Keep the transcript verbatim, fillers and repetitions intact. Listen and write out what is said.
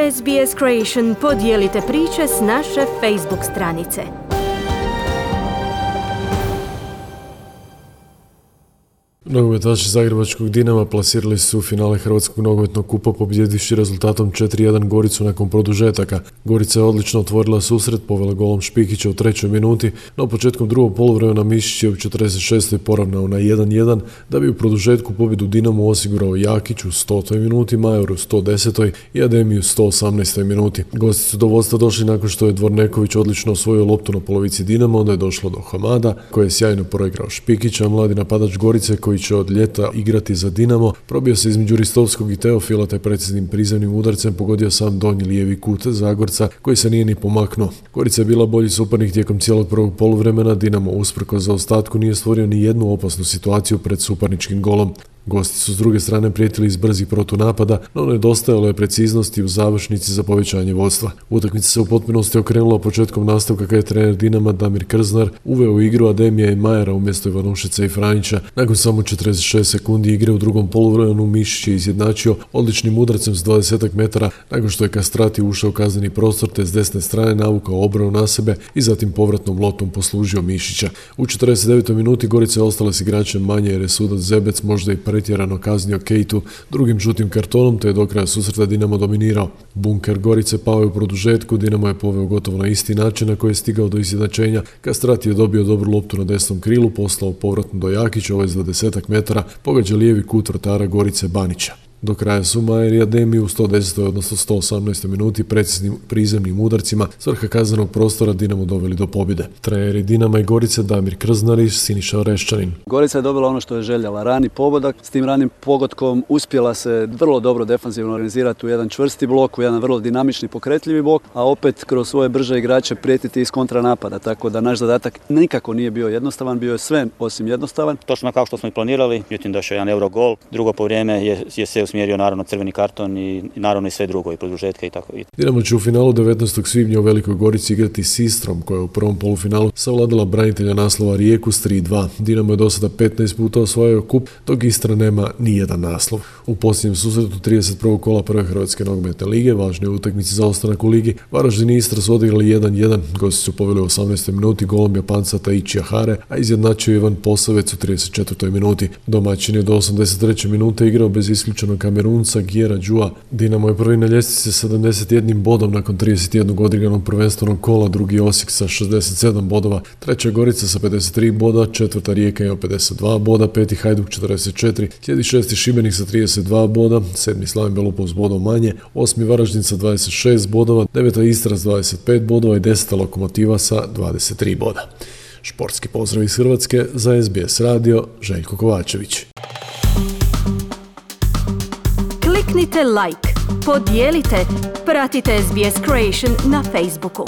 S B S Creation podijelite priče s naše Facebook stranice. Nogometaši zagrebačkog Dinama plasirali su u finale Hrvatskog nogometnog kupa pobjedivši rezultatom četiri jedan Goricu nakon produžetaka. Gorica je odlično otvorila susret, povela golom Špikića u trećoj minuti, no početkom drugog poluvremena Mišić je u četrdeset šestoj poravnao na jedan jedan, da bi u produžetku pobjedu Dinamu osigurao Jakić u stotoj minuti, Major u sto desetoj i Ademi u sto osamnaestoj minuti. Gosti su do vodstva došli nakon što je Dvorneković odlično osvojio loptu na polovici Dinama, onda je došlo do Hamada, koji je sjajno proigrao Špikića, mladi napadač Gorice koji će od ljeta igrati za Dinamo, probio se između Ristovskog i Teofila te preciznim prizemnim udarcem pogodio sam donji lijevi kut Zagorca koji se nije ni pomaknuo. Gorica je bila bolji suparnik tijekom cijelog prvog poluvremena, Dinamo usprkos zaostatku nije stvorio ni jednu opasnu situaciju pred suparničkim golom. Gosti su s druge strane prijetili iz brzih protunapada, no nedostajalo je preciznosti u završnici za povećanje vodstva. Utakmica se u potpunosti okrenula početkom nastavka kada je trener Dinama Damir Krznar uveo u igru Ademija i Majera umjesto Ivanušića i Franjića. Nakon samo četrdeset šest sekundi igre u drugom poluvremenu Mišić je izjednačio odličnim udarcem s dvadeset metara nakon što je Kastrati ušao u kazneni prostor te s desne strane navukao obranu na sebe i zatim povratnom lotom poslužio Mišića. U četrdeset devetoj minuti Gorica je ostala s igračem manje jer je sudac Zebec možda i pretjerano kaznio Kejtu drugim žutim kartonom te je do kraja susreta Dinamo dominirao. Bunker Gorice pao je u produžetku, Dinamo je poveo gotovo na isti način na koji je stigao do izjednačenja. Kastrati je dobio dobru loptu na desnom krilu, poslao povratno do Jakića, ovaj s dvadeset metara, pogađa lijevi kut vratara Gorice Banića. Do kraja su Majer i Ademi u sto desetoj odnosno sto osamnaestoj minuti preciznim prizemnim udarcima s vrha kaznenog prostora Dinamo doveli do pobjede. Treneri Dinama i Gorice Damir Krznar i Siniša Oreščanin. Gorica je dobila ono što je željela, rani pogodak. S tim ranim pogodkom uspjela se vrlo dobro defanzivno organizirati u jedan čvrsti blok, u jedan vrlo dinamični pokretljivi blok, a opet kroz svoje brže igrače prijetiti iz kontranapada. Tako da naš zadatak nikako nije bio jednostavan, bio je sve osim jednostavan. Točno kao što smo i planirali, međutim došao jedan euro gol. Drugo povrijeme je, je se usmjerio naravno crveni karton i, i naravno i sve drugo i produžetka i tako. Dinamo će u finalu devetnaestog svibnja u Velikoj Gorici igrati s Istrom koja je u prvom polufinalu savladala branitelja naslova Rijeku s tri dva. Dinamo je do sada petnaest puta osvojio kup, dok Istra nema ni jedan naslov. U posljednjem susretu trideset prvog kola prve Hrvatske nogometne lige, važne utakmice za ostanak u ligi, Varaždin i Istra su odigrali jedan jedan, gosti su poveli u osamnaestoj minuti golom Japanca Taichija Hare, a izjednačio Ivan Posavec u trideset četvrtoj minuti. Domaćin je do osamdeset treće minute igrao bez isključenog Kamerunca Gjera Džua. Dinamo je prvi na ljestvici sa sedamdeset jednim bodom nakon trideset jednog odigranog prvenstvenog kola, drugi Osijek sa šezdeset sedam bodova, treća Gorica sa pedeset tri boda, četvrta Rijeka ima pedeset dva boda, peti Hajduk četrdeset četiri, slijedi šesti Šibenik sa trideset dva boda, sedmi Slaven Belupo s bodom manje, osmi Varaždin sa dvadeset šest bodova, deveta Istra s dvadeset pet bodova i deseta Lokomotiva sa dvadeset tri boda. Športski pozdrav iz Hrvatske za S B S radio, Željko Kovačević. Kliknite like, podijelite, pratite S B S Creation na Facebooku.